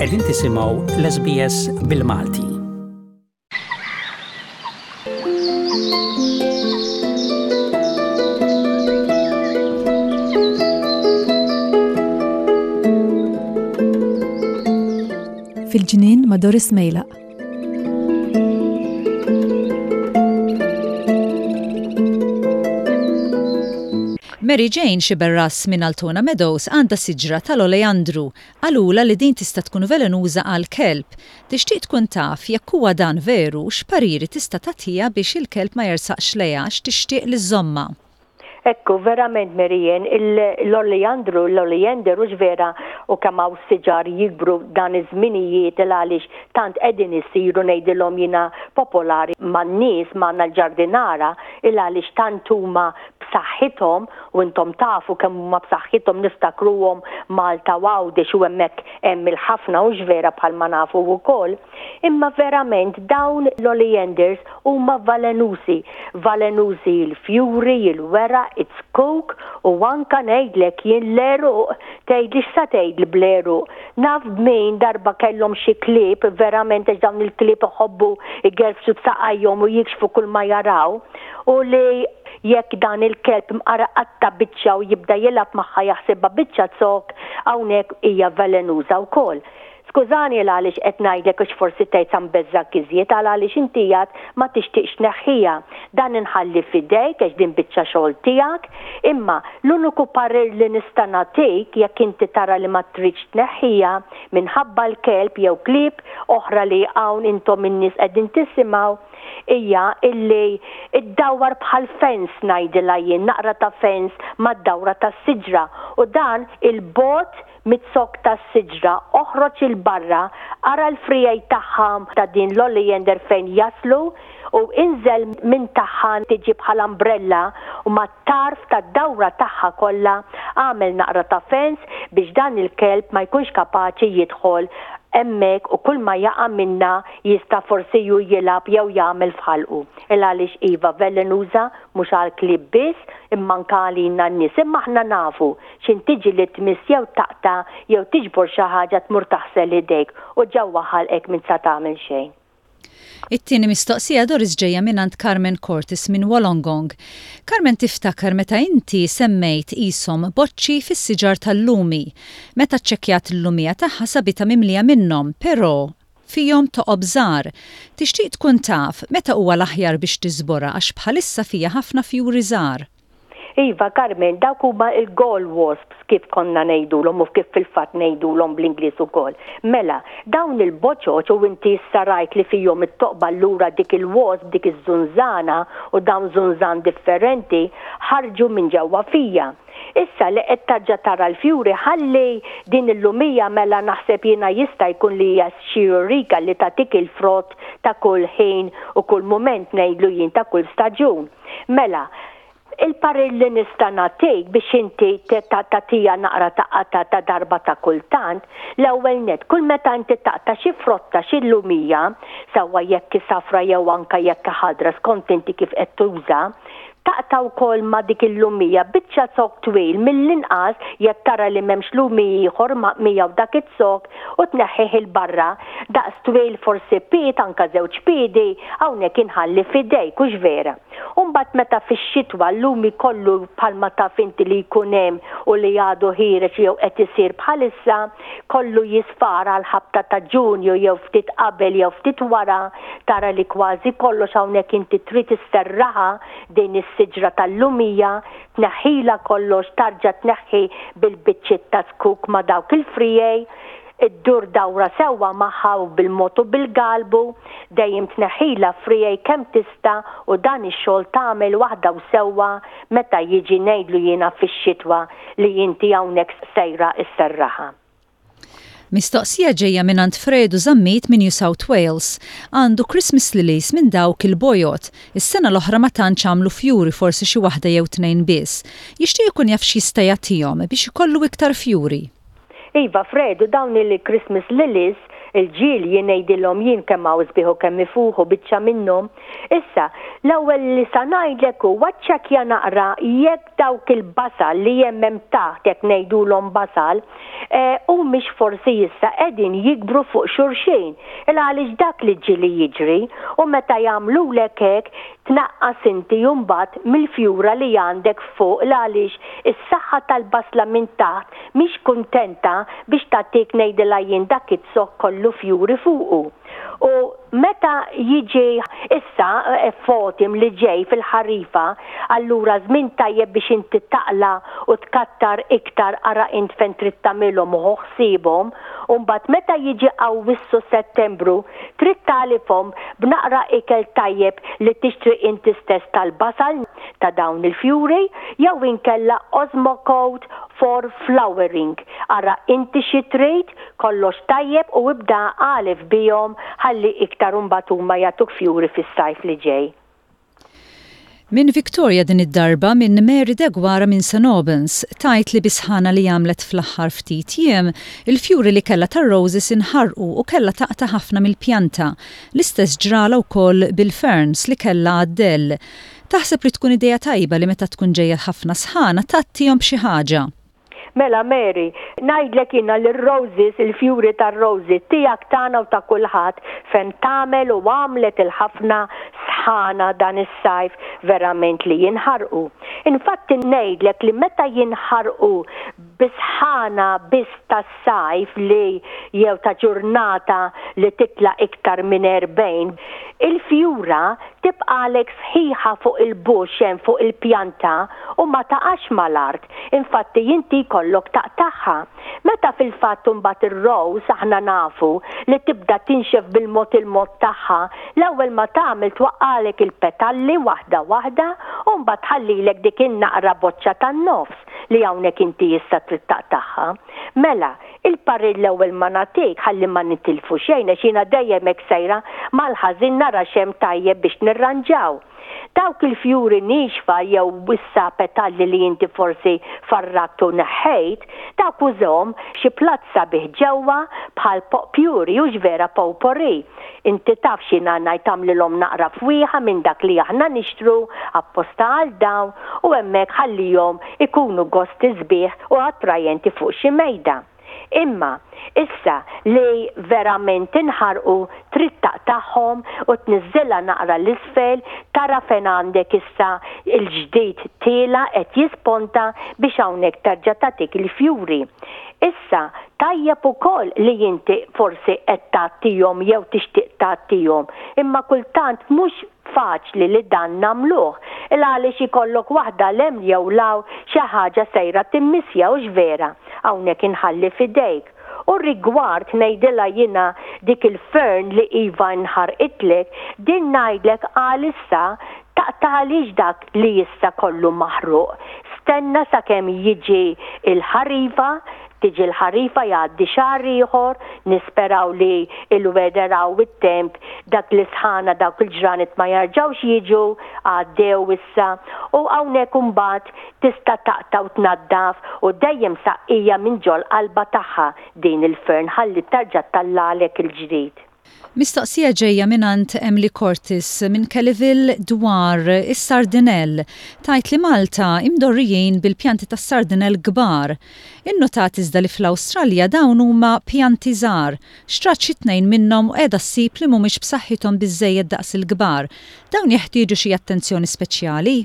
Qegħdin tisimgħu l-SBS bil-Malti. Fil-ġnien ma' Doris Mejlaq. Mary Jane Sciberras minn Altona Meadows għandha siġra tal-oleandru. Qalulha li din tista' tkun velenuża għall-kelb. Tixtieq tkun taf jekk huwa dan veru u x'pariri tista' tagħtiha biex il-kelb ma jersaqx lejha għax tixtieq li żżommha. Ekku, verament Mary Ann, l-oleandru, l-oleander hux vera u kemm hawn siġar jikbru dan iż-żminijiet il għaliex tant qegħdin isiru ngħidilhom jiena popolari man-nies, magħna l-ġardinara, il għaliex tant huma b'saħħithom u intom tafu kemm huma b'saħħithom niftakruhom Malta u Għawdex u hemmhekk hemm il-ħafna hux vera bħalma nafu wkoll. Imma verament dawn l-oleanders huma valenużi. Valenużi l-fjuri, il-weraq, iz-zkuk u anka ngħidlek jien l-għeruq. Tgħidli x'sa tgħidli bl-għeruq? Naf b'min darba kellhom xi klieb, verament għax dawn il-klieb iħobbu jgerfxu b'saqajhom u jikxfu kull ma jaraw, u li jekk dan il-kelb mqar iqatta' biċċa u jibda jilgħab magħha jaħsibha biċċa zokk, hawnhekk hija velenuża wkoll. Skużani għal għaliex qed ngħidlek għax forsi tgħid sa nbeżżgħek iżjed għal għaliex inti għad ma tixtieqx tneħħiha. Dan inħalli f'idejk għax din biċċa xogħol tiegħek. Imma l-uniku parir li nista' nagħtik jekk inti tara li ma tridx tneħħiha minħabba l-kelb jew klieb oħra li hawn intom in-nies qegħdin tisimgħu hija illi ddawwar bħal fence ngħidilha jien naqra ta' fence mad-dawra tas-siġra u dan 'il bogħod Miz-zokk tas-siġra oħroġ 'il barra, ara l-friegħi tagħha ta' din l-oleander fejn jaslu u inżel minn tagħha tiġi bħal umbrella u mat-tarf tad-dawra tagħha kollha agħmel naqra ta' fence biex dan il-kelb ma jkunx kapaċi jidħol hemmhekk u kull ma jaqa' minnha jista' forsi hu jilgħab jew jagħmel f'ħalqu. Il għaliex iva velenuża mhux għall-klieb biss imma anke għalina n-nies imma aħna nafu X'int tiġi li tmiss jew taqta' jew tiġbor xi ħaġa tmur taħsel idejk u ġewwa ħalqek m'int sa tagħmel xejn. It-tieni mistoqsija Doris ġejja mingħand Carmen Cortis minn Wollongong. Carmen tiftakar meta inti semmejt qishom boċċi fis-siġar tal-lumi. Meta ċċekkjat il-lumija tagħha sabitha mimlija minnhom, però fihom toqob żgħar. Tixtieq tkun taf meta huwa l-aħjar biex tiżborha għax bħalissa fiha ħafna fjuri żgħar. Iva, Carmen, dawk huma l-gall wasps kif konna ngħidulhom u kif fil-fatt ngħidulhom bl-Ingliż ukoll. Mela, dawn il-boċoċ u inti issa rajt li fihom it-toqba allura dik il-wasp, dik iż-żunżana u dawn żunżan differenti ħarġu minn ġewwa fija. Issa li qed tarġa' tara l-fjuri ħalli din il-lumija mela naħseb jiena jista' jkun li hija xi eureka li tagħtik il-frott ta' kull ħin u kull mument ngħidlu jien ta' kull staġun. Mela, il-parir li nista' nagħtik biex inti tagħtiha naqra ta' qatgħa ta' darba ta' kultant, l-ewwel nett, kull meta inti taqta' xi frotta, xi lumija, sewwa jekk hi safra jew anke jekk hi ħadra skont inti kif qed tuża, taqta' wkoll ma' dik il-lumija biċċa zokk twil mill-inqas jekk tara li m'hemmx lumi ieħor ma' miegħu dak iz-zokk u tneħħih 'il barra daqs twil forsi pied anke żewġ piedi hawnhekk inħalli f'idejk hux vera. U mbagħad meta fix-xitwa l-lumi kollu bħalma taf inti li jkun hemm u li għadu ħiereġ jew qed isir bħalissa, kollu jisfar għall-ħabta ta' Ġunju jew ftit qabel jew ftit wara, tara li kważi kollox hawnhekk inti trid isserraħha din is-siġra tal-lumija, tneħħilha kollox, tarġa' tneħħi bil-biċċiet ta' zkuk ma' dawk il-friegħi, Iddur dawra sewwa magħha u bil-mod u bil-galbu, dejjem tneħħilha friegħi kemm tista' u dan ix-xogħol tagħmel waħda u sewwa meta jiġi ngħidlu jiena fix-xitwa li inti hawnhekk sejra sserraħha. Mistoqsija ġejja mingħand Fredu Zammit minn New South Wales. Għandu Christmas lilies minn dawk il-bojod. Is-sena l-oħra ma tantx għamlu fjuri forsi xi waħda jew tnejn biss. Jixtieq ikun jaf x'jista' jagħtihom biex ikollu iktar fjuri. Iva Fredu dawn il-Christmas lilies. Il-ġilji ngħidilhom jien kemm hawn sbieħ u kemm ifuħu biċċa minnhom. Issa, l-ewwel li sa ngħidlek huwa ċċekkja naqra jekk dawk il-basal li hemm hemm taħt jekk ngħidulhom basal, humiex forsi issa qegħdin jikbru fuq xulxin. Il għaliex dak li ġieli jiġri u meta jagħmlulek hekk tnaqqas inti mbagħad mill-fjura li għandek fuq il għaliex is-saħħa tal-basla minn taħt mhix kuntenta biex tagħtik ngħidilha jien dak iz-zokk kollu fjuri fuqu. U meta jiġi issa f'autumn li ġej fil-ħarifa, allura żmien tajjeb biex inti taqla' u tkattar iktar ara int fejn trid tagħmilhom u ħu ħsiebhom, u mbagħad meta jiġi Awwissu Settembru trid tagħlifhom b'naqra ikel tajjeb li tixtri inti stess tal-basal ta' dawn il-fjuri jew inkella Osmocote for flowering. Ara inti xi trid Kollox tajjeb u ibda agħlef bihom ħalli iktar imbagħad huma jagħtuk fjuri fis-sajf li ġej. Minn Victoria din id-darba minn Mary Deguara minn St Albans, tgħid li bis-sħana li għamlet fl-aħħar ftit jiem, il-fjuri li kellha tar-roses inħarqu u kellha taqta' ħafna mill-pjanta. L-istess ġralha wkoll bil-ferns li kellha għad-dell. Taħseb li tkun idea tajba li meta tkun ġejja ħafna sħana tgħattihom b'xi ħaġa. Mela Mary, ngħidlek jiena li r-roses, il-fjuri tar-roses, tiegħek, tagħna u ta' kulħadd, fejn tagħmel u għamlet il-ħafna sħana dan is-sajf verament li jinħarqu. Infatti ngħidlek li meta jinħarqu bi sħana biss tas-sajf li jew ta' ġurnata li titla' iktar minn 40, il-fjura tibqagħlek sħiħa fuq il-bush hemm fuq il-pjanta u ma taqax mal-art, infatti inti jkollok taqtagħha. Meta fil-fatt imbagħad ir-rose aħna nafu li tibda tinxef bil-mod il-mod tagħha, l-ewwel ma tagħmel twaqqagħlek il-petalli waħda waħda u mbagħad tħallilek dik in-naqra boċċa tan-nofs li hawnhekk inti issa trid taqtagħha. Mela, Il-parir l-ewwel ma nagħtik ħalli ma nitilfu xejn għax jiena dejjem hekk sejra mal-ħażin nara x'hemm tajjeb biex nirranġaw. Dawk il-fjuri niexfa jew issa petalli li inti forsi farrakt u neħħejt, dawk użahom f'xi platt sabiħ ġewwa bħal potpuri hux vera potpourri. Inti taf x'jiena ngħid agħmlilhom naqra fwieħa minn dak li aħna nixtru apposta għal dawn u hemmhekk ħallihom ikunu gosti sbieħ u attrajenti fuq xi mejda. Imma, issa li verament inħarqu trid taqtagħhom u tniżżilha naqra 'l isfel, tara fejn għandek issa l-ġdid tiela' qed jisponta biex hawnhekk terġa' tagħtik il-fjuri. Issa, tajjeb ukoll li inti forsi qed tgħattihom jew tixtieq tgħattihom, imma kultant mhux faċli li dan nagħmluh, il għaliex ikollok waħda 'l hemm jew 'l hawn xi ħaġa sejra timmissja hux vera? Hawnhekk inħalli f'idejk. U rigward ngħidilha jiena dik il-fern li iva nħarqitlek, din ngħidlek għalissa taqtagħlix dak li issa kollu maħruq. Stenna sakemm jiġi l-ħarifa, Tiġi l-ħarifa jgħaddi xahar ieħor, nisperaw li l-weather hawn it-temp, dak l-isħana dawk il-ġranet ma jerġgħux jiġu, għaddew issa, u hawnhekk imbagħad tista' taqta' u tnaddaf u dejjem saqqija minn ġol-qalba tagħha din il-fern ħalli terġa' ttellagħlek il-ġdid. Mistoqsija ġejja mingħand Emily Cortis minn Kellyville dwar is-sardinell. Tgħid li Malta imdorrijin bil-pjanti tas-sardinell kbar. Innutat iżda li fl-Awstralja dawn huma pjanti żgħar. Xtrat xi tnejn minnhom u qiegħda ssib li mhumiex b'saħħithom biżżejjed daqs il-kbar. Dawn jeħtieġu xi attenzjoni speċjali?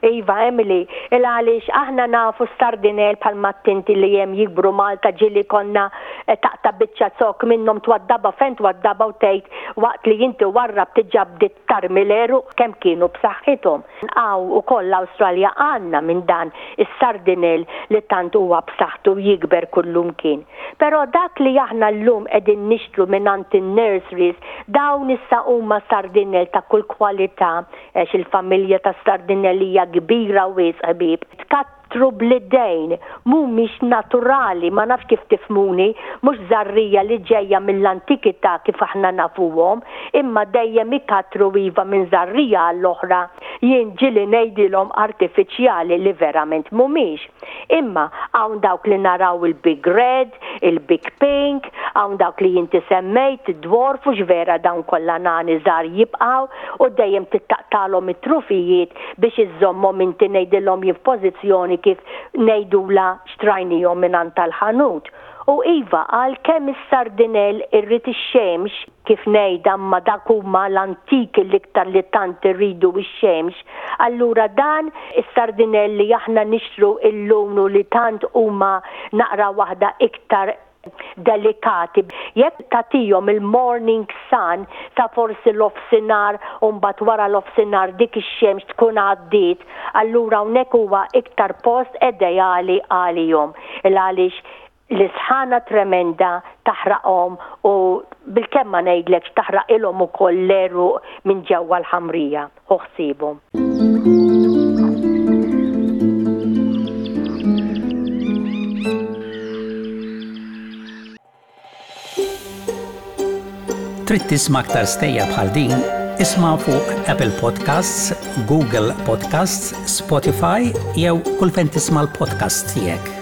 Iva, Emily, il għaliex aħna nafu s-sardinell bħalma għedt inti li hemm jikbru Malta ġieli konna taqta' biċċa zokk minnhom twaddabha fejn twaddabha u tgħid waqt li inti warrabt diġà bdiet tarmi l-għeruq kemm kienu b'saħħithom. Hawn ukoll l-Awstralja għandna minn dan is-sardinell li tant huwa b'saħħtu jikber kullumkien. Però dak li aħna llum qegħdin nixtru mingħand in-nurseries dawn issa huma sardinell ta' kull kwalità Għax il-familja tas-sardinell hija kbira wisq, ħbieb. ikattru bl-idejn, mhumiex naturali, ma nafx kif tifhmuni, mhux żarrija li ġejja mill-antikità kif aħna nafuhom, imma dejjem ikattru iva minn żarrija għall-oħra, jien ġieli ngħidilhom artifiċjali li verament mhumiex. Imma hawn dawk li naraw il-big red, il-big pink, hawn dawk li inti semmejt, id-dwarf hux vera dawn kollha nani żgħar jibqgħu u dejjem trid taqtagħlhom it-trufijiet biex iżżommhom inti ngħidilhom jien f'pożizzjoni kif ngħidulha xtrajnihom mingħand tal-ħanut. U iva għalkemm is-sardinell irrid ix-xemx, kif ngħidha imma dak huma l-antiki l-iktar li tant irridu x-xemx, allura dan is-sardinell li aħna nixtru illum u li tant huma naqra waħda iktar delikati, jekk tagħtihom il-morning sun sa forsi l-ofsinhar u mbagħad wara l-ofsinhar dik ix-xemx tkun għaddiet, allura hawnhekk huwa iktar post ideali għalihom. Il għaliex l-isħana tremenda taħraqhom u bilkemm ma ngħidlekx taħraqilhom ukoll l-għeruq minn ġewwa l-ħamrija. Ħu ħsiebhom. Trid tisma' aktar stejjer bħal din? Isma' fuq Apple Podcasts, Google Podcasts, Spotify jew kull fejn tisma' l-podcasts tiegħek.